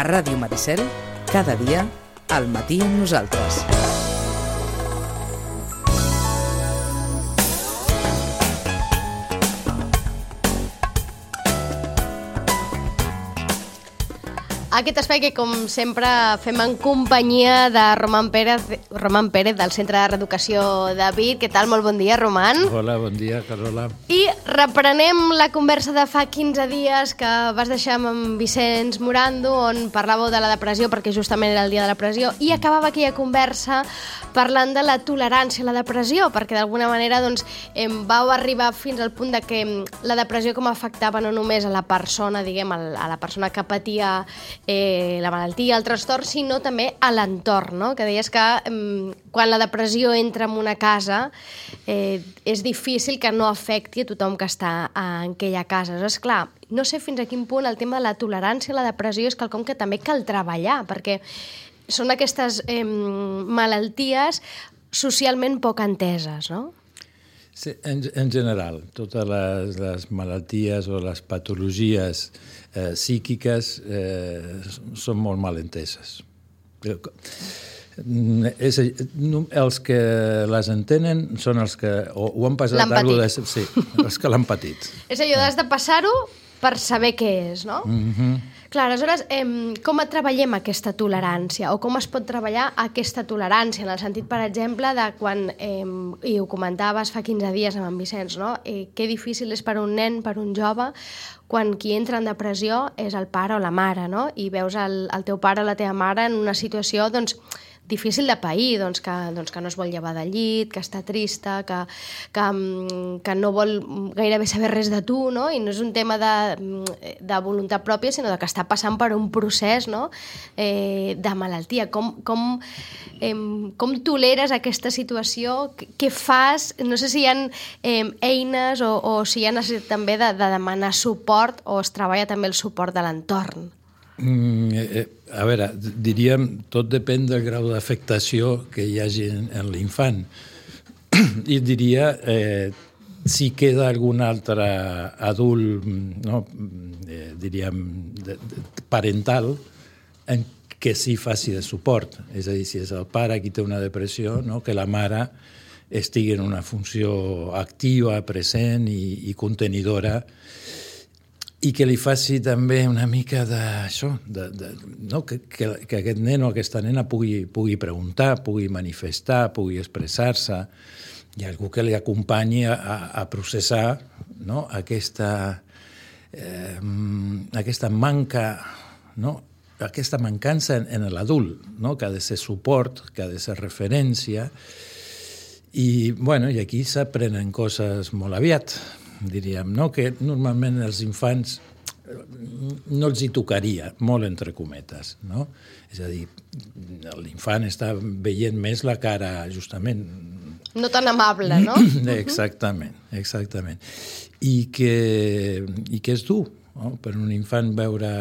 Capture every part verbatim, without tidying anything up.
Ràdio Maricel, cada dia, al matí amb nosaltres. Aquest espai que, com sempre, fem en companyia de Roman Pérez, Roman Pérez del Centre de Reeducació de Vic. Què tal? Molt bon dia, Roman. Hola, bon dia, Carola. I reprenem la conversa de fa quinze dies que vas deixar amb en Vicenç Morando, on parlàveu de la depressió, perquè justament era el dia de la depressió, i acabava aquella conversa parlant de la tolerància a la depressió, perquè d'alguna manera doncs, em vau arribar fins al punt de que la depressió com afectava no només a la persona, diguem, a la persona que patia Eh, la malaltia, el trastorn, sinó també a l'entorn, no? Que deies que eh, quan la depressió entra en una casa eh, és difícil que no afecti a tothom que està en aquella casa. És clar, no sé fins a quin punt el tema de la tolerància a la depressió és quelcom que també cal treballar, perquè són aquestes eh, malalties socialment poc enteses, no? Sí, en, en general, totes les, les malalties o les patologies eh, psíquiques eh, són molt mal enteses. És, els que les entenen són els que o, ho han passat... L'han patit. De, sí, els que l'han patit. És allò, has de passar-ho per saber què és, no? Mm-hmm. Clar, aleshores, eh, com treballem aquesta tolerància o com es pot treballar aquesta tolerància en el sentit, per exemple, de quan, eh, i ho comentaves fa quinze dies amb en Vicenç, no? Eh, que difícil és per un nen, per un jove, quan qui entra en depressió és el pare o la mare, no? I veus el, el teu pare o la teva mare en una situació, doncs, difícil de pair, doncs que, doncs que no es vol llevar del llit, que està trista, que, que, que no vol gairebé saber res de tu, no? I no és un tema de, de voluntat pròpia, sinó de que està passant per un procés, no? eh, de malaltia. Com, com, eh, com toleres aquesta situació? Què fas? No sé si hi ha eh, eines o, o si hi ha necessitat també de, de demanar suport o es treballa també el suport de l'entorn. Mm, eh, a veure, diríem, tot depèn del grau d'afectació que hi hagi en, en l'infant. I diria, eh, si queda algun altre adult, no, eh, diríem, de, de, parental, en què sí faci de suport. És a dir, si és el pare qui té una depressió, no, que la mare estigui en una funció activa, present i, i contenidora, i que li faci també una mica d'això, de, de, no? que, que, que aquest nen o aquesta nena pugui, pugui preguntar, pugui manifestar, pugui expressar-se, i algú que li acompanyi a, a processar, no? aquesta, eh, aquesta manca, no? aquesta mancança en, en l'adult, no? que ha de ser suport, que ha de ser referència, i, bueno, i aquí s'aprenen coses molt aviat, diríem, no? Que normalment els infants no els hi tocaria, molt entre cometes, no? És a dir, l'infant està veient més la cara, justament... No tan amable, no? Exactament, exactament. I que, i que és dur, no? Per un infant veure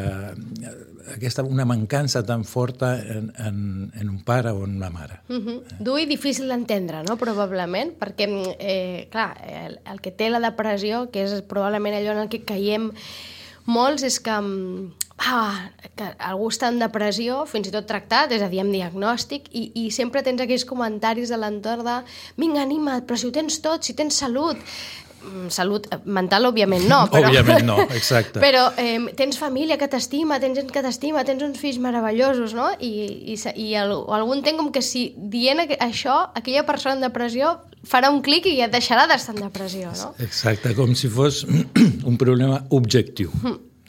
aquesta, una mancança tan forta en, en, en un pare o en una mare. Uh-huh. Dur i difícil d'entendre, no? Probablement, perquè, eh, clar, el, el que té la depressió, que és probablement allò en el que caiem molts, és que, ah, que algú està en depressió, fins i tot tractat, és a dir, amb diagnòstic, i, i sempre tens aquells comentaris de l'entorn de vinga, anima't, però si ho tens tot, si tens salut... Salut mental, òbviament no. Però, òbviament no, exacte. Però eh, tens família que t'estima, tens gent que t'estima, tens uns fills meravellosos, no? I, i, i el, algú entén com que si dient això, aquella persona en depressió farà un clic i et deixarà d'estar en depressió, no? Exacte, com si fos un problema objectiu.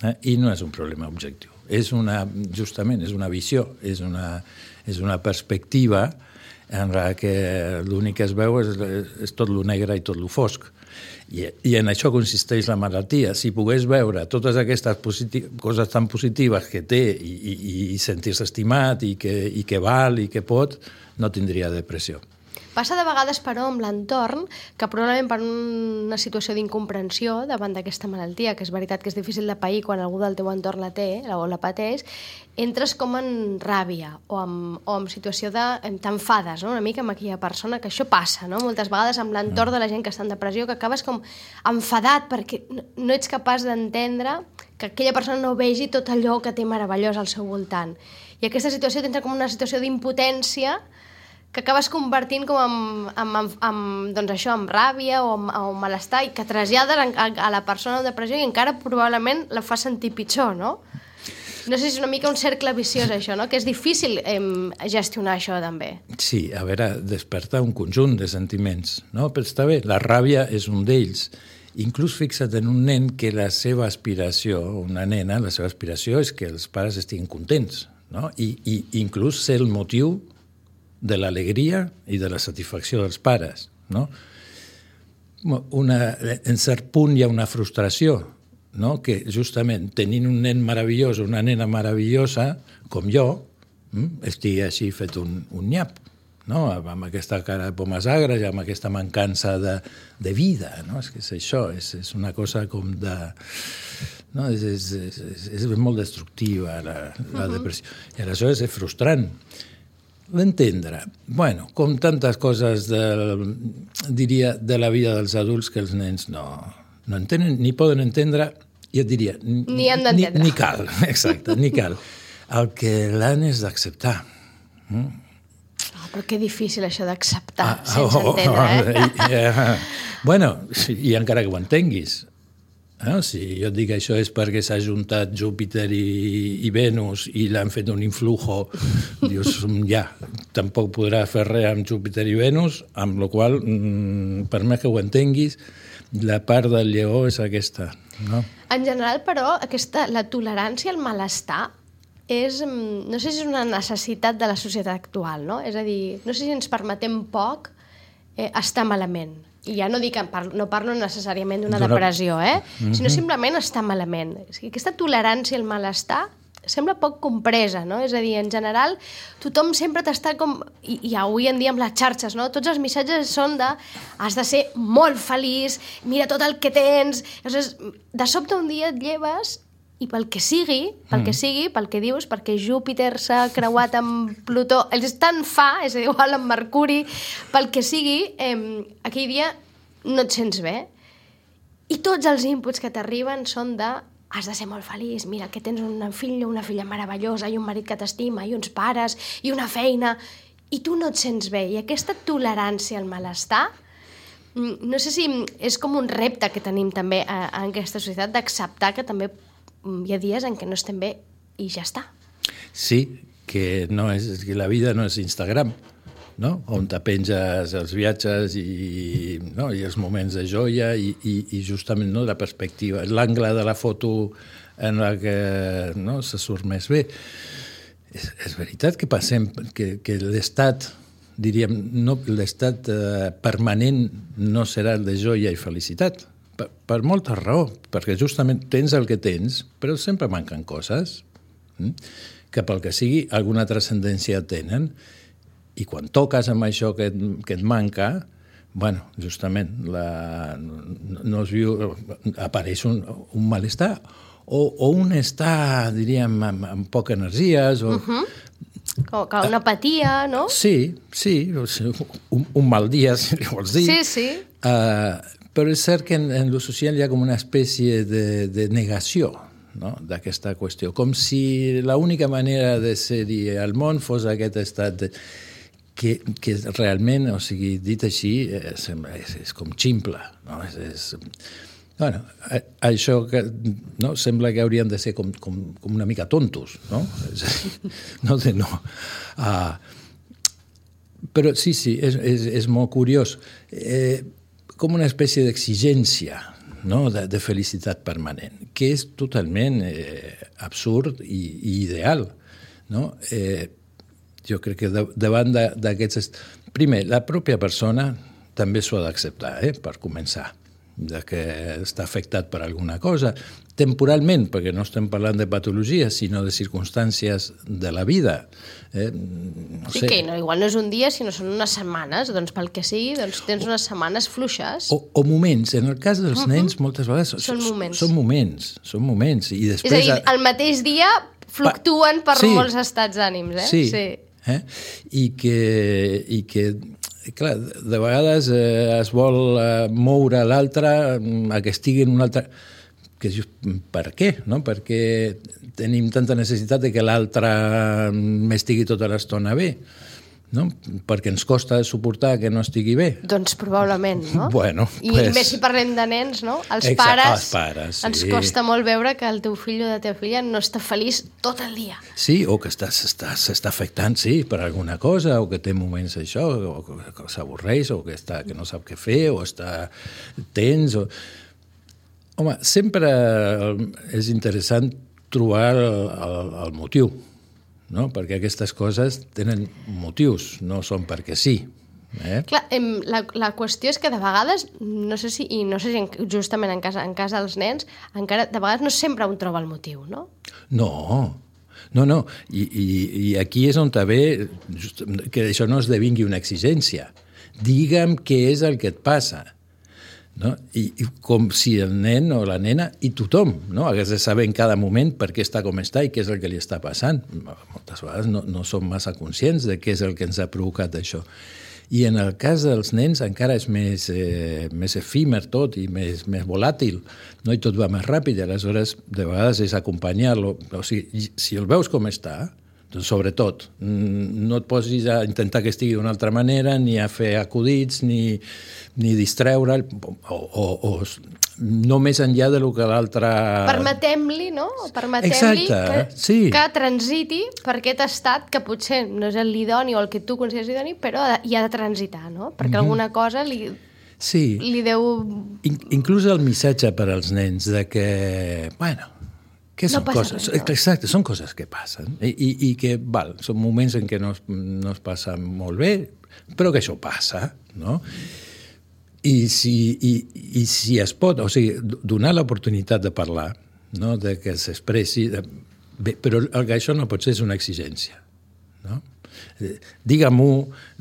Eh? I no és un problema objectiu. És una, justament, és una visió, és una, és una perspectiva en la que l'únic que es veu és, és tot lo negre i tot lo fosc. I, i en això consisteix la malaltia. Si pogués veure totes aquestes coses tan positives que té i, i, i sentir-se estimat i que, i que val i que pot, no tindria depressió. Passa de vegades, però, amb l'entorn, que probablement per una situació d'incomprensió davant d'aquesta malaltia, que és veritat que és difícil de pair quan algú del teu entorn la té o la pateix, entres com en ràbia o en, o en situació de... t'enfades, no? Una mica amb aquella persona, que això passa, no? Moltes vegades amb l'entorn de la gent que està en depressió, que acabes com enfadat perquè no ets capaç d'entendre que aquella persona no vegi tot allò que té meravellós al seu voltant. I aquesta situació t'entra com una situació d'impotència que acabes convertint com amb, amb, amb, amb, doncs això, amb ràbia o amb, amb malestar, i que trasllades a, a la persona amb depressió i encara probablement la fa sentir pitjor, no? No sé si és una mica un cercle viciós, això, no? Que és difícil eh, gestionar això, també. Sí, a veure, desperta un conjunt de sentiments, no? Però està bé, la ràbia és un d'ells. Inclús fixa't en un nen que la seva aspiració, una nena, la seva aspiració és que els pares estiguin contents, no? I, i inclús ser el motiu de l'alegria i de la satisfacció dels pares, no? Una, en cert punt hi ha una frustració, no? Que justament tenint un nen meravellós o una nena meravellosa, com jo, estigui així fet un, un nyap, no? Amb aquesta cara de pomes agres i amb aquesta mancança de, de vida, no? És que és això, és, és una cosa com de... No? És, és, és, és molt destructiva la, la depressió. I aleshores és frustrant. L'entendre. Bueno, com tantes coses de, diria, de la vida dels adults que els nens no, no entenen, ni poden entendre, i et diria... Ni han d'entendre. Ni, ni cal, exacte, ni cal. El que l'han és d'acceptar. Mm? Oh, però que difícil això d'acceptar, Ah, sense oh, entendre, eh? eh? Bueno, i encara que ho entenguis, eh? Si jo et dic això és perquè s'ha juntat Júpiter i, i Venus i l'han fet un influjo, dius, ja, tampoc podrà fer res amb Júpiter i Venus, amb la qual cosa, mm, per més que ho entenguis, la part del lleó és aquesta, no? En general, però, aquesta, la tolerància al malestar és, no sé si és una necessitat de la societat actual, no? És a dir, no sé si ens permetem poc eh, estar malament. I ja no dic, no parlo necessàriament d'una depressió, eh? Mm-hmm. Sinó simplement estar malament. És que aquesta tolerància al malestar sembla poc compresa, no? És a dir, en general, tothom sempre t'està com... I, i avui en dia amb les xarxes, no? Tots els missatges són de has de ser molt feliç, mira tot el que tens... Llavors, de sobte un dia et lleves i pel que sigui, pel que sigui, pel que dius, perquè Júpiter s'ha creuat amb Plutó, és tan fa, és igual amb Mercuri, pel que sigui, eh, aquell dia no et sents bé. I tots els inputs que t'arriben són de has de ser molt feliç, mira que tens un fill o una filla meravellosa i un marit que t'estima i uns pares i una feina, i tu no et sents bé. I aquesta tolerància al malestar, no sé si és com un repte que tenim també en aquesta societat d'acceptar que també hi ha dies en què no estem bé i ja està. Sí, que, no és, que la vida no és Instagram, no? On te penges els viatges i, no? I els moments de joia i, i, i justament no? La perspectiva, l'angle de la foto en la que no? Se surt més bé. És, és veritat que passem, que, que l'estat, diríem, no, l'estat eh, permanent no serà el de joia i felicitat. Per, per molta raó, perquè justament tens el que tens, però sempre manquen coses, eh? Que pel que sigui alguna transcendència tenen, i quan toques amb això que et, que et manca, bueno, justament la, no, no es viu, apareix un, un malestar, o, o un estar, diríem, amb, amb poca energies, o... Uh-huh. Com, com una apatia, no? Sí, sí, un, un mal dia, si li vols dir. Sí, sí. Uh, però és cert que en, en lo social hi ha com una espècie de, de negació, no? D'aquesta qüestió, com si l'única manera de ser-hi al món fos aquest estat de, que, que realment, o sigui, dit així, és, és, és com ximple, no? És, és, bueno, això que, no? Sembla que haurien de ser com, com, com una mica tontos, no? No sé, no. Uh, però sí, sí, és, és, és molt curiós. Eh, com una espècie d'exigència, no? de, de felicitat permanent, que és totalment eh, absurd i, i ideal. No? Eh, jo crec que de, davant d'aquests... Primer, la pròpia persona també s'ho ha d'acceptar, eh, per començar. de que està afectat per alguna cosa, temporalment, perquè no estem parlant de patologies, sinó de circumstàncies de la vida. Eh? No sí, sé. que no, igual no és un dia, sinó són unes setmanes, doncs pel que sigui, doncs tens unes setmanes fluixes. O, o moments. En el cas dels uh -huh. nens, moltes vegades són moments. Són moments, són moments. I després, és a dir, el mateix dia fluctuen per sí. molts estats d'ànims, eh? Sí. sí. Eh? I que... I que clar, de vegades eh, es vol eh, moure l'altre a que estigui en un altre... Que just, per què? No? Perquè tenim tanta necessitat de que l'altre estigui tota l'estona bé, no? Perquè ens costa suportar que no estigui bé. Doncs probablement, no? Bueno, I pues... més si parlem de nens, no? Els Exacte, pares, els pares sí. ens costa molt veure que el teu fill o la teva filla no està feliç tot el dia. Sí, o que s'està afectant, sí, per alguna cosa, o que té moments això, o que, que s'avorreix, o que, està, que no sap què fer, o està tens, o... Home, sempre és interessant trobar el, el, el motiu, no? Perquè aquestes coses tenen motius, no són perquè sí. Eh? Clar, la, la qüestió és que de vegades, no sé si, i no sé si justament en casa, en casa dels nens, encara de vegades no sempre un troba el motiu, no? No, no, no. I, i, i aquí és on també just, que això no esdevingui una exigència. Digue'm què és el que et passa. No? I, I com si el nen o la nena i tothom no? hagués de saber en cada moment per què està com està i què és el que li està passant. Moltes vegades no, no som massa conscients de què és el que ens ha provocat això. I en el cas dels nens encara és més, eh, més efímer tot i més, més volàtil, no? I tot va més ràpid, i aleshores de vegades és acompanyar-lo. O sigui, si el veus com està, doncs sobretot, no et posis a intentar que estigui d'una altra manera, ni a fer acudits, ni, ni distreure'l, o, o, o no més enllà del que l'altre... Permetem-li, no? Permetem-li que, sí. que transiti per aquest estat que potser no és l'idoni o el que tu consideres idoni, però hi ha de transitar, no? Perquè mm-hmm. alguna cosa li, sí. li deu... In, inclús el missatge per als nens de que, bueno, que són no coses, res, no? exacte, són coses que passen i, i, i que, val, són moments en què no es, no es passa molt bé, però que això passa, no? I si, i, i si es pot, o sigui, donar l'oportunitat de parlar, no? De que s'expressi, de... bé, però el que això no pot ser és una exigència, no? Digue-m'ho,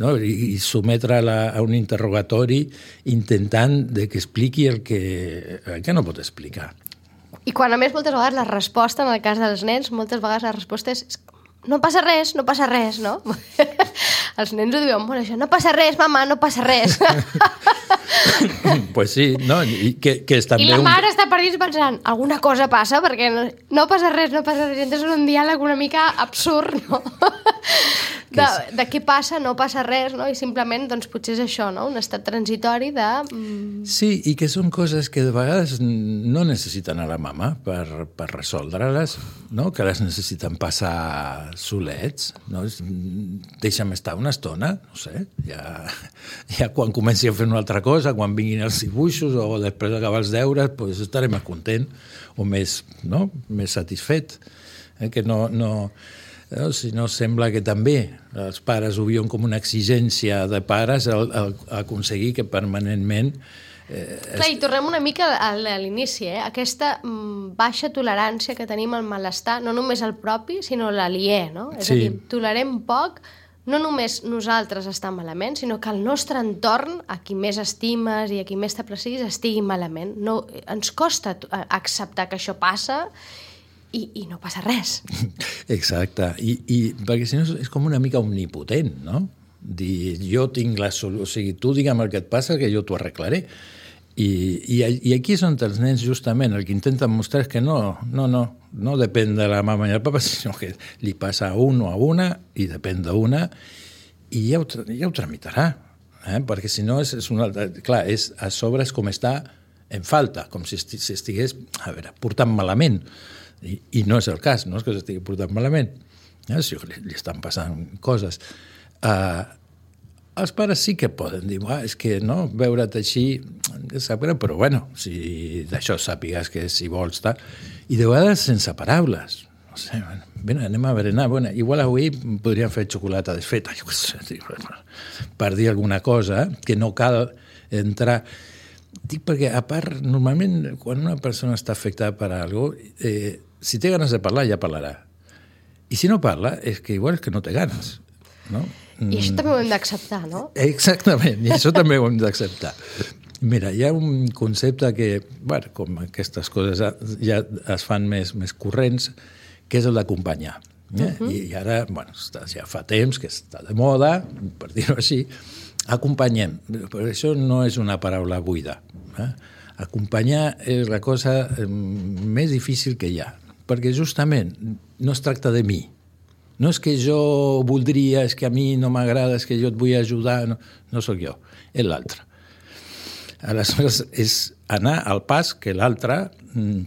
no? I, i sometre-la a un interrogatori intentant de que expliqui el que, el que no pot explicar. I quan a més moltes vegades la resposta, en el cas dels nens, moltes vegades la resposta és no passa res, no passa res, no? Els nens ho diuen, bueno, això, no passa res, mama, no passa res. Pues sí, no? I, que, que és també I la mare un... està per dins pensant, alguna cosa passa, perquè no, no passa res, no passa res. Entonces és un diàleg una mica absurd, no? De, de què passa, no passa res, no? I simplement, doncs, potser és això, no? Un estat transitori de... Sí, i que són coses que de vegades no necessiten a la mama per, per resoldre-les, no? Que les necessiten passar solets, no? Deixa'm estar una estona, no sé, ja, ja quan comenci a fer una altra cosa, quan vinguin els dibuixos o després d'acabar els deures, pues estaré més content o més, no? Més satisfet. Eh? Que no... no No, si no, sembla que també els pares ho viuen com una exigència de pares el, el, aconseguir que permanentment... Eh, Clar, i tornem una mica a l'inici, eh? Aquesta mm, baixa tolerància que tenim al malestar, no només el propi, sinó l'aliè, no? És sí. a dir, tolerem poc, no només nosaltres estar malament, sinó que el nostre entorn, a qui més estimes i a qui més t'aprecis, estigui malament. No, ens costa acceptar que això passa I, i no passa res. Exacte. I, i perquè si no és com una mica omnipotent, no? Dir, jo tinc la solució, o sigui, tu digue'm el que et passa que jo t'ho arreglaré. I, i, I aquí és on els nens justament el que intenten mostrar és que no, no, no, no depèn de la mama i el papa, sinó que li passa a un o a una i depèn d'una i ja ho, ja ho tramitarà. Eh? Perquè si no, és, és una altra... Clar, és, a sobre és com està en falta, com si estigués, a veure, portant malament. I, i no és el cas, no és que s'estigui portant malament, eh? Si li, li estan passant coses. Uh, els pares sí que poden dir, és que no, veure't així, sap greu, però bueno, si d'això sàpigues que si vols, tal. I de vegades sense paraules. No sé, bueno, ben, anem a berenar, bueno, igual avui podríem fer xocolata desfeta, jo què sé, per dir alguna cosa, que no cal entrar... Dic perquè, a part, normalment, quan una persona està afectada per alguna cosa, eh, si té ganes de parlar, ja parlarà. I si no parla, és que igual és que no té ganes. No? I això també ho hem d'acceptar, no? Exactament, i això també ho hem d'acceptar. Mira, hi ha un concepte que, bueno, com aquestes coses ja es fan més, més corrents, que és el d'acompanyar. Eh? Uh-huh. I ara, bueno, ja fa temps que està de moda, per dir-ho així, acompanyem. Però això no és una paraula buida. Eh? Acompanyar és la cosa més difícil que hi ha, perquè justament no es tracta de mi. No és que jo voldria, és que a mi no m'agrada, és que jo et vull ajudar, no, no sóc jo, és l'altre. Aleshores, és anar al pas que l'altre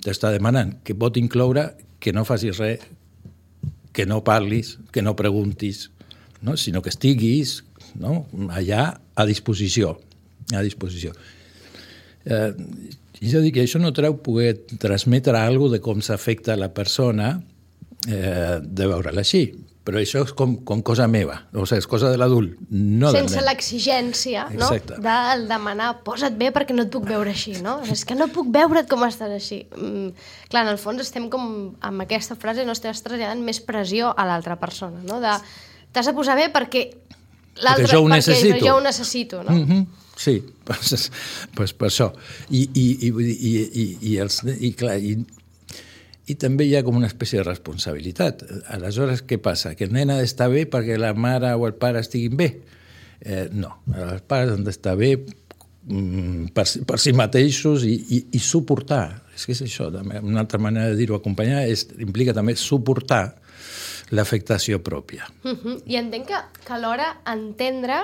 t'està demanant, que pot incloure que no facis res, que no parlis, que no preguntis, no? Sinó que estiguis, no? Allà a disposició. A disposició. Eh, jo dic que això no treu poder transmetre alguna cosa de com s'afecta la persona eh, de veure-la així. Però això és com, com cosa meva, o sigui, és cosa de l'adult, no del nen. Sense l'exigència, no? De demanar, posa't bé perquè no et puc veure així, no? És que no puc veure't com estàs així. Mm, clar, en el fons estem com, amb aquesta frase, no estàs traslladant més pressió a l'altra persona, no? De, t'has de posar bé perquè l'altre, perquè jo ho perquè necessito. Jo ho necessito, no? Mm-hmm. Sí, pues, pues per això. I, i, i, i, i, i, els, i clar, i, i també hi ha com una espècie de responsabilitat. Aleshores, què passa? Que el nen ha d'estar bé perquè la mare o el pare estiguin bé? Eh, no, els pares han d'estar bé mm, per, per si mateixos i, i, i suportar. És que és això, també. Una altra manera de dir-ho, acompanyar, és, implica també suportar l'afectació pròpia. Uh-huh. I entenc que, que alhora entendre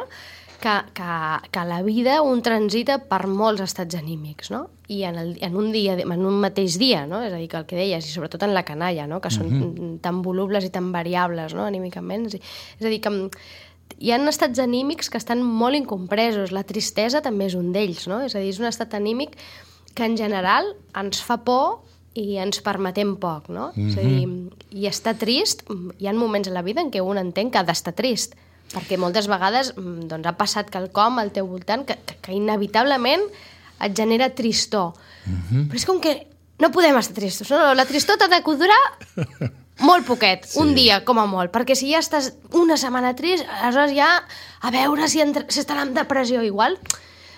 que, que, que la vida un transita per molts estats anímics, no? I en, el, en, un dia, en un mateix dia, no? És a dir, que el que deies, i sobretot en la canalla, no? Que són uh-huh. tan volubles i tan variables, no? Anímicament. És a dir, que hi ha estats anímics que estan molt incompresos. La tristesa també és un d'ells, no? És a dir, és un estat anímic que en general ens fa por i ens permetem poc, no? Uh-huh. És a dir, i estar trist, hi ha moments a la vida en què un entén que ha d'estar trist, perquè moltes vegades doncs, ha passat quelcom al teu voltant que, que, que inevitablement et genera tristor. Uh-huh. Però és com que no podem estar tristos, no? La tristor t'ha de durar molt poquet, sí. Un dia com a molt, perquè si ja estàs una setmana trist, aleshores ja a veure si, entre, si estarà en depressió igual.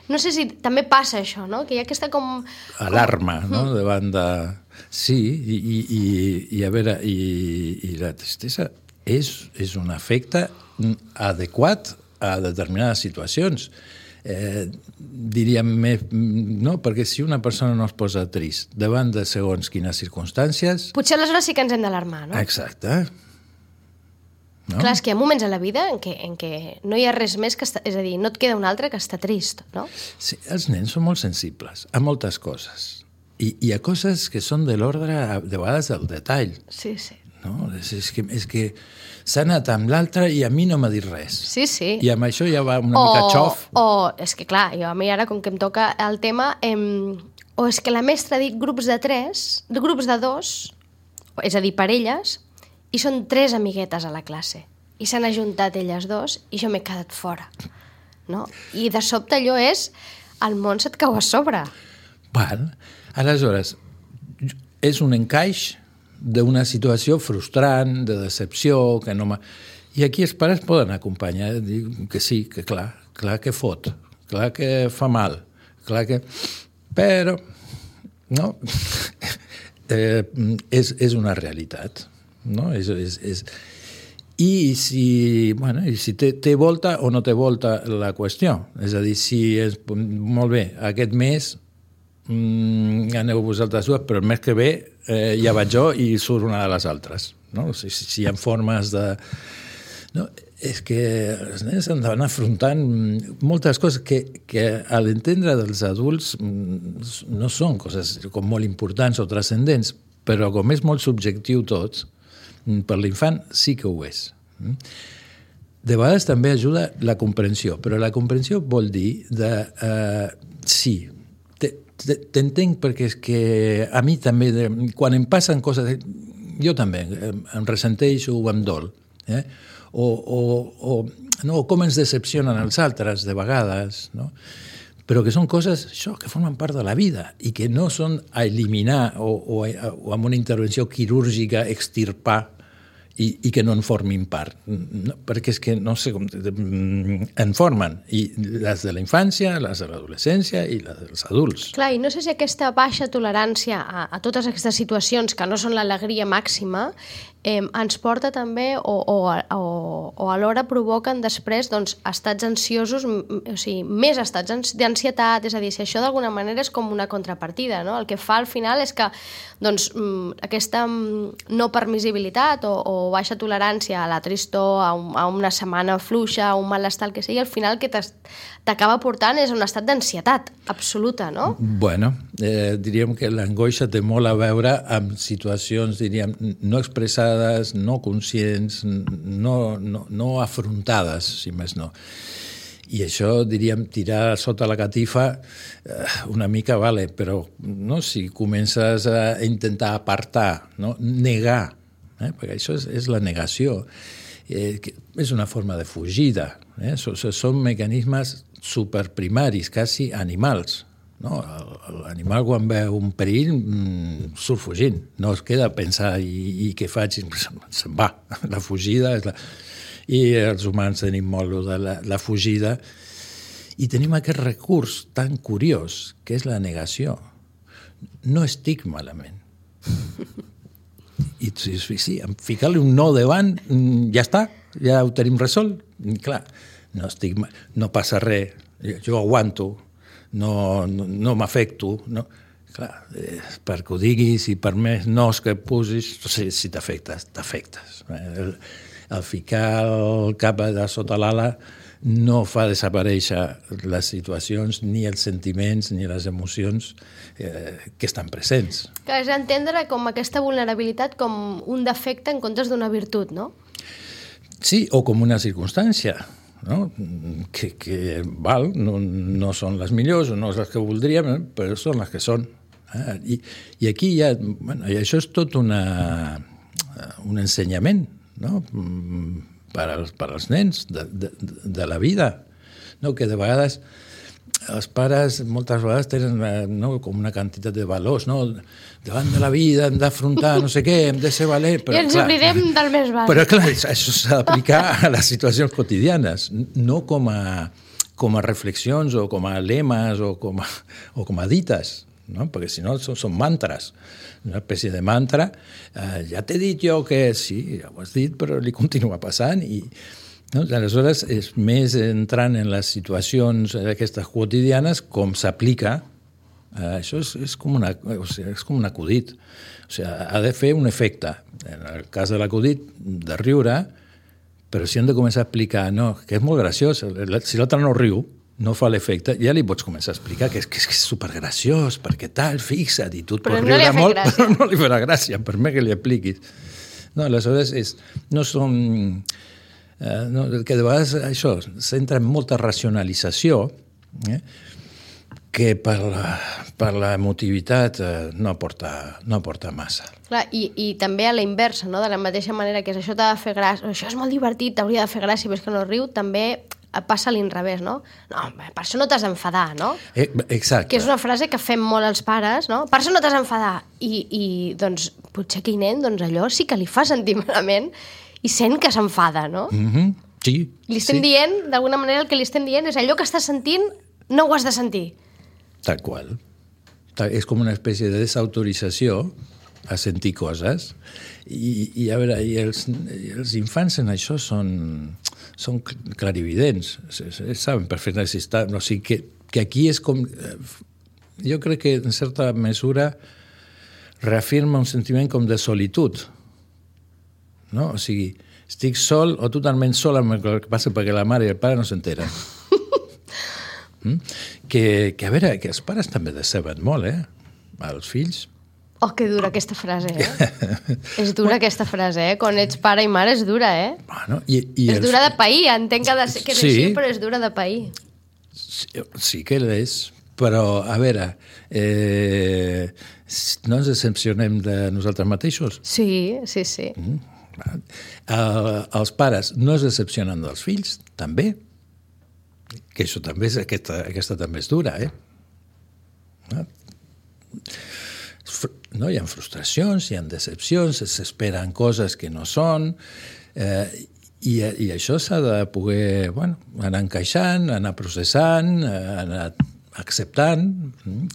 No sé si també passa això, no? Que hi ha aquesta com... Alarma, com... no? Davant de... Sí, i, i, i, i a veure, i, i la tristesa és, és un efecte adequat a determinades situacions. Eh, diríem més, no? Perquè si una persona no es posa trist davant de segons quines circumstàncies... Potser aleshores sí que ens hem d'alarmar, no? Exacte. No? Clar, és que hi ha moments a la vida en què, en què no hi ha res més que... Està, és a dir, no et queda un altre que estar trist, no? Sí, els nens són molt sensibles a moltes coses. I, i a coses que són de l'ordre, de vegades, del detall. Sí, sí. No? És, és que, és que s'ha anat amb l'altre i a mi no m'ha dit res. Sí, sí. I amb això ja va una o, mica xof. O, és que clar, jo a mi ara, com que em toca el tema, em, o és que la mestra ha dit grups de tres, de grups de dos, és a dir, parelles, i són tres amiguetes a la classe. I s'han ajuntat elles dos i jo m'he quedat fora. No? I de sobte allò és... El món se't cau a sobre. Val. Aleshores, és un encaix d'una situació frustrant, de decepció, que no m'ha... I aquí els pares poden acompanyar, dir que sí, que clar, clar que fot, clar que fa mal, clar que... Però, no, eh, és, és una realitat, no? És, és, és... I si, bueno, i si té, té volta o no té volta la qüestió. És a dir, si és molt bé, aquest mes mm, aneu vosaltres dues, però el mes que ve eh, ja vaig jo i surt una de les altres. No? Si, si hi ha formes de... No, és que els nens han d'anar afrontant moltes coses que, que a l'entendre dels adults no són coses com molt importants o transcendents, però com és molt subjectiu tot, per l'infant sí que ho és. De vegades també ajuda la comprensió, però la comprensió vol dir de... Uh, sí, t'entenc perquè és que a mi també, quan em passen coses, jo també em ressenteixo o em dol. Eh? O, o, o, no, com ens decepcionen els altres de vegades, no? però que són coses això, que formen part de la vida i que no són a eliminar o, o, o amb una intervenció quirúrgica extirpar i, i que no en formin part. No, perquè és que no sé com... en formen. I les de la infància, les de l'adolescència i les dels adults. Clar, i no sé si aquesta baixa tolerància a, a totes aquestes situacions que no són l'alegria màxima eh, ens porta també o, o, o, o alhora provoquen després doncs, estats ansiosos, o sigui, més estats d'ansietat, és a dir, si això d'alguna manera és com una contrapartida, no? El que fa al final és que doncs, aquesta no permissibilitat o, o baixa tolerància a la tristor, a, un, a una setmana fluixa, a un malestar, el que sigui, al final el que t'acaba portant és un estat d'ansietat absoluta, no? Bueno, eh, diríem que l'angoixa té molt a veure amb situacions, diríem, no expressades, no conscients, no, no, no afrontades, si més no. I això, diríem, tirar sota la catifa eh, una mica vale, però no, si comences a intentar apartar, no? Negar, eh? Perquè això és, és la negació, eh, que és una forma de fugida, eh? Són, són mecanismes superprimaris, quasi animals. No? L'animal quan veu un perill mmm, surt fugint, no es queda a pensar i, i què faig, se'n va, la fugida és la... I els humans tenim molt de la, la fugida i tenim aquest recurs tan curiós que és la negació. No estic malament. I sí, sí, ficar-li un no davant, ja està, ja ho tenim resolt. I, clar, no, estic, no passa res, jo aguanto, no, no, no m'afecto, no. Clar, eh, perquè ho diguis i per més nos que posis, si, si t'afectes, t'afectes. El, el ficar el cap de sota l'ala no fa desaparèixer les situacions, ni els sentiments, ni les emocions eh, que estan presents. Que és entendre com aquesta vulnerabilitat com un defecte en comptes d'una virtut, no? Sí, o com una circumstància, no? Que, que val, no, no són les millors, no són les que voldríem, eh? Però són les que són. Eh? I, I aquí ja, bueno, i això és tot una, un ensenyament, no? Per als, per als nens de, de, de la vida, no? Que de vegades els pares moltes vegades tenen no, com una quantitat de valors, no? Davant de la vida hem d'afrontar no sé què, hem de ser valent, però, i ens clar, oblidem del més bàsic. Però clar, això s'ha d'aplicar a les situacions quotidianes, no com a, com a reflexions o com a lemes o com a, o com a dites, no? Perquè si no són, són mantres, una espècie de mantra. Eh, ja t'he dit jo que sí, ja ho has dit, però li continua passant i no? Aleshores és més entrant en les situacions aquestes quotidianes com s'aplica. Eh, això és, és, com una, o sigui, és com un acudit. O sigui, ha de fer un efecte. En el cas de l'acudit, de riure, però si hem de començar a explicar, no, que és molt graciós, si l'altre no riu, no fa l'efecte, ja li pots començar a explicar que és, que és, que és supergraciós, perquè tal, fixa't, i tu et pots riure no molt, gràcia. però no li farà gràcia, per més que li apliquis. No, aleshores, és, no són... Eh, no, que de vegades això s'entra en molta racionalització, eh, que per la, per la emotivitat eh, no, aporta, no aporta massa. Clar, i, i també a la inversa, no? De la mateixa manera que això t'ha de fer gràcia, això és molt divertit, t'hauria de fer gràcia, però és que no riu, també passa a l'inrevés, no? No, per això no t'has d'enfadar, no? Eh, exacte. Que és una frase que fem molt els pares, no? Per això no t'has d'enfadar. I, i doncs, potser aquell nen, doncs allò sí que li fa sentir malament i sent que s'enfada, no? Mm-hmm. Sí. Li estem sí. dient, d'alguna manera el que li estem dient és allò que estàs sentint, no ho has de sentir. Tal qual. És com una espècie de desautorització a sentir coses. I, i a veure, i els, i els infants en això són, són clarividents. Saben perfectament si està... O sigui, que, que aquí és com... Jo crec que, en certa mesura, reafirma un sentiment com de solitud. No? O sigui, estic sol o totalment sol amb el que passa perquè la mare i el pare no s'enteren. mm? que, que, a veure, que els pares també deceben molt, eh? Els fills. Oh, que dura aquesta frase, eh? És dura aquesta frase, eh? Quan ets pare i mare és dura, eh? Bueno, i, i és els... dura de pair, entenc que, de ser, que és sí. així, però és dura de pair. Sí, sí que l'és, però, a veure, eh, no ens decepcionem de nosaltres mateixos? Sí, sí, sí. Mm. Uh, els pares no es decepcionen dels fills, també. que això també és, aquesta, aquesta també és dura, eh? No? No? Hi ha frustracions, hi ha decepcions, s'esperen coses que no són, eh, i, i això s'ha de poder, bueno, anar encaixant, anar processant, anar acceptant,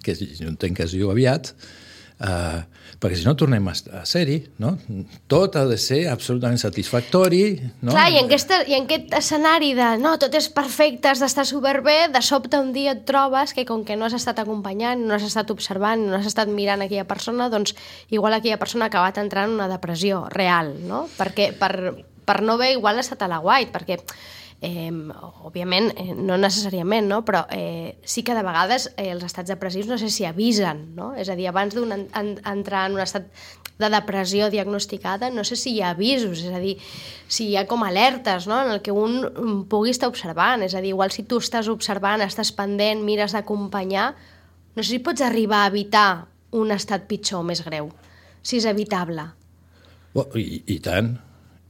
que jo entenc que es diu aviat, Uh, perquè si no tornem a, a ser-hi, no? Tot ha de ser absolutament satisfactori, no? Clar, i en, aquesta, i en aquest escenari de no, tot és perfecte, has d'estar superbé, de sobte un dia et trobes que com que no has estat acompanyant, no has estat observant, no has estat mirant aquella persona, doncs igual aquella persona ha acabat entrant en una depressió real, no? Perquè per, per no haver igual estat a la guait, perquè Eh, òbviament, eh, no necessàriament, no? Però eh, sí que de vegades eh, els estats depressius no sé si avisen, no? És a dir, abans d'entrar en un estat de depressió diagnosticada, no sé si hi ha avisos, és a dir, si hi ha com alertes, no? En el que un pugui estar observant, és a dir, igual si tu estàs observant, estàs pendent, mires d'acompanyar, no sé si pots arribar a evitar un estat pitjor o més greu, si és evitable. Oh, i, i tant.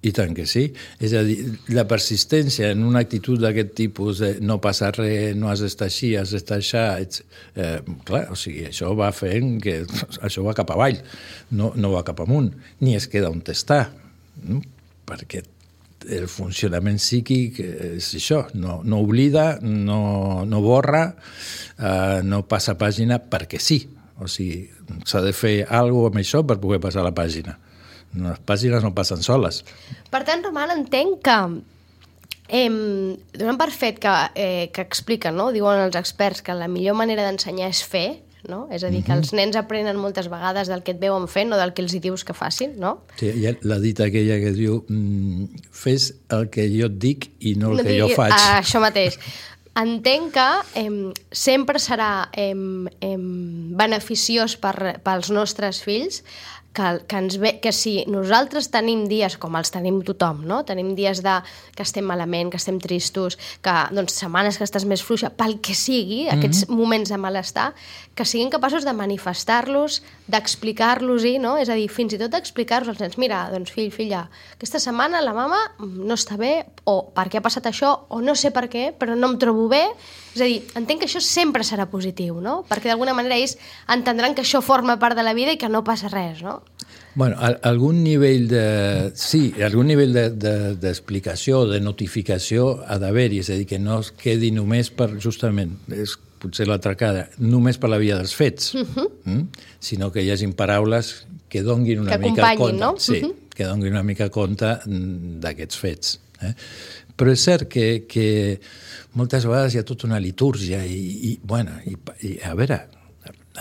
I tant que sí. És a dir, la persistència en una actitud d'aquest tipus de no passa res, no has d'estar així, has d'estar així, ets, eh, clar, o sigui, això va fent que això va cap avall, no, no va cap amunt, ni es queda on està, no? Perquè el funcionament psíquic és això, no, no oblida, no, no borra, eh, no passa pàgina perquè sí, o sigui, s'ha de fer alguna cosa amb això per poder passar la pàgina. Les pàgines no passen soles. Per tant, Roman, entenc que eh, donant per fet que, eh, que expliquen, no? Diuen els experts que la millor manera d'ensenyar és fer, no? És a dir, que els nens aprenen moltes vegades del que et veuen fent o del que els hi dius que facin, no? Sí, hi ha la dita aquella que diu mm, fes el que jo et dic i no el no que digui, jo faig. Ah, això mateix. Entenc que eh, sempre serà eh, eh, beneficiós per, pels nostres fills que, que, ens ve, que si nosaltres tenim dies, com els tenim tothom, no? Tenim dies de, que estem malament, que estem tristos, que doncs, setmanes que estàs més fluixa, pel que sigui, mm-hmm. aquests moments de malestar, que siguin capaços de manifestar-los, d'explicar-los-hi, no? És a dir, fins i tot d'explicar-los als nens, mira, doncs fill, filla, aquesta setmana la mama no està bé, o per què ha passat això, o no sé per què, però no em trobo bé. És a dir, entenc que això sempre serà positiu, no? Perquè d'alguna manera ells entendran que això forma part de la vida i que no passa res, no? Bueno, algun nivell de... Sí, algun nivell d'explicació, de, de notificació ha d'haver-hi, és a dir, que no es quedi només per, justament, és potser l'altra cara, només per la via dels fets, uh-huh. mm? sinó que hi hagin paraules que donguin una que mica compte. No? Sí, uh-huh. que donguin una mica compte d'aquests fets. Eh? Però és cert que, que moltes vegades hi ha tota una litúrgia i, i, bueno, i, i a veure,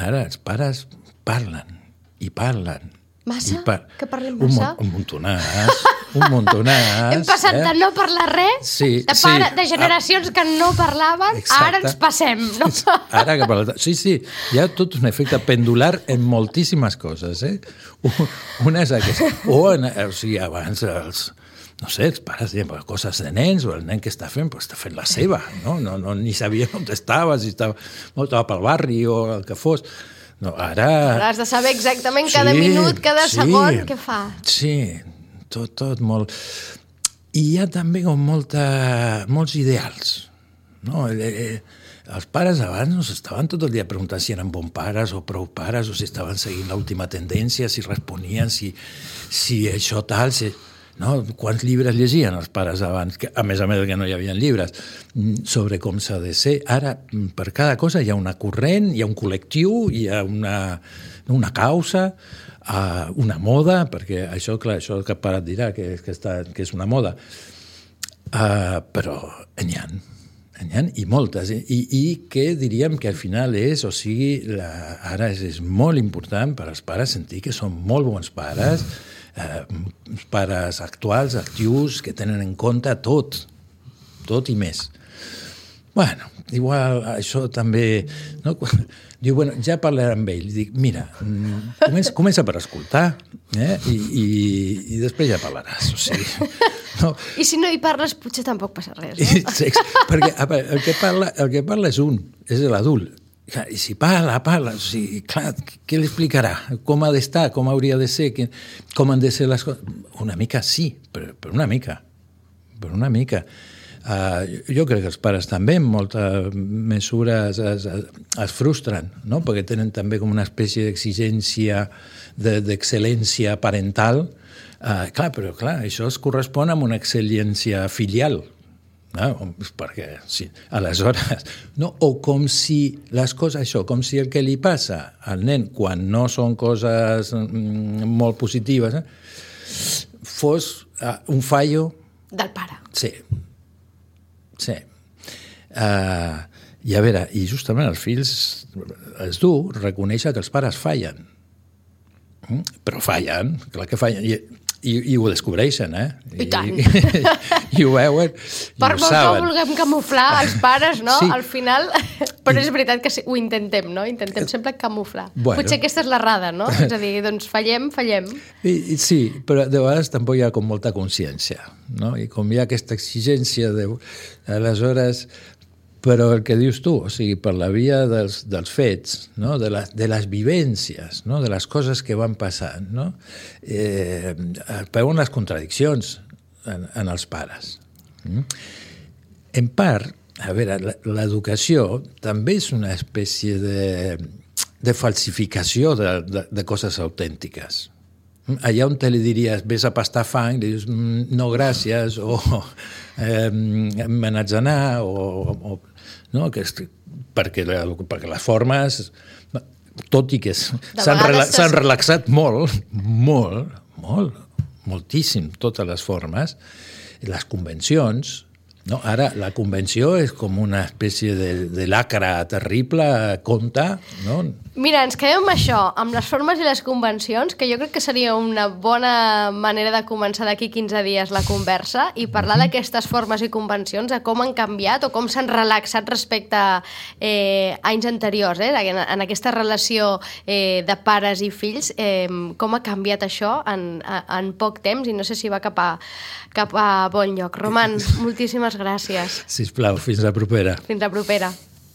ara els pares parlen i parlen. Massa? I par... Que parlem massa? Un, un montonàs, un montonàs. Hem passat eh? de no parlar res, sí, de, pare, sí. de generacions que no parlaven, exacte. Ara ens passem. No? Ara que parla... Sí, sí, hi ha tot un efecte pendular en moltíssimes coses. Eh? Una és aquesta. O, en, o sigui, abans els... no sé, els pares deien coses de nens, o el nen que està fent, pues, està fent la seva, no? No, no, ni sabia on estava, si estava, no, estava pel barri o el que fos. No, ara... Ara has de saber exactament sí, cada minut, cada sí, segon, què fa. Sí, tot, tot molt... I hi ha també com molta, molts ideals, no? Eh, els pares abans no estaven tot el dia preguntant si eren bons pares o prou pares, o si estaven seguint l'última tendència, si responien, si, si això tal... Si... No? Quants llibres llegien els pares abans, que, a més a més que no hi havia llibres, sobre com s'ha de ser. Ara, per cada cosa hi ha una corrent, hi ha un col·lectiu, hi ha una, una causa, uh, una moda, perquè això, clar, això que el pare et dirà, que, que, està, que és una moda. Uh, però n'hi ha, n'hi ha, i moltes. I, I que diríem que al final és, o sigui, la, ara és, és molt important per als pares sentir que són molt bons pares, Eh, pares actuals, actius, que tenen en compte tot, tot i més. Bueno, igual això també... No? Diu, bueno, ja parlaré amb ell. Dic, mira, comença, comença per escoltar eh? I, i, i després ja parlaràs. O sigui, no? I si no hi parles, potser tampoc passa res, no? I, sí, perquè a veure, el, que parla, el que parla és un, és l'adult. I si parla, parla, o sigui, clar, què li explicarà? Com ha d'estar, com hauria de ser, com han de ser les coses? Una mica sí, però, però una mica, però una mica. Uh, jo crec que els pares també en molta mesura es, es, es frustren, no? Perquè tenen també com una espècie d'exigència d'excel·lència parental. Uh, clar, però clar, això es correspon amb una excel·lència filial. No? Perquè, sí, aleshores, no? O com si les coses, això, com si el que li passa al nen quan no són coses mm, molt positives eh, fos uh, un fallo del pare. Sí. Sí. Uh, I a veure, i justament els fills és dur reconèixer que els pares fallen. Mm? Però fallen, clar que fallen. I, i, i ho descobreixen, eh? I tant. I, i, i ho veuen, i per ho molt saben. que vulguem camuflar els pares, no? Sí. Al final... Però és veritat que sí, ho intentem, no? Intentem sempre camuflar. Bueno. Potser aquesta és l'errada, no? És a dir, doncs fallem, fallem. I, i sí, però de vegades tampoc hi ha com molta consciència, no? I com hi ha aquesta exigència de... Aleshores, però el que dius tu, o sigui, per la via dels, dels fets, no? de, les, de les vivències, no? De les coses que van passant, no? Eh, veuen les contradiccions en, en els pares. Mm? En part, a veure, l'educació també és una espècie de, de falsificació de, de, de coses autèntiques. Allà on te li diries, ves a pastar fang, li dius, no, gràcies, o eh, me n'haig d'anar, o, o, no? Que és, perquè, perquè les formes, tot i que s'han rela, relaxat molt, molt, molt, moltíssim, totes les formes, les convencions. No? Ara, la convenció és com una espècie de, de lacra terrible, conta, no? Mira, ens quedem amb això, amb les formes i les convencions, que jo crec que seria una bona manera de començar d'aquí quinze dies la conversa i parlar mm-hmm. d'aquestes formes i convencions, de com han canviat o com s'han relaxat respecte a eh, anys anteriors, eh? en, en aquesta relació eh, de pares i fills, eh, com ha canviat això en, en poc temps i no sé si va cap a, cap a bon lloc. Roman, moltíssimes gràcies. Sisplau, fins la propera. Fins la propera.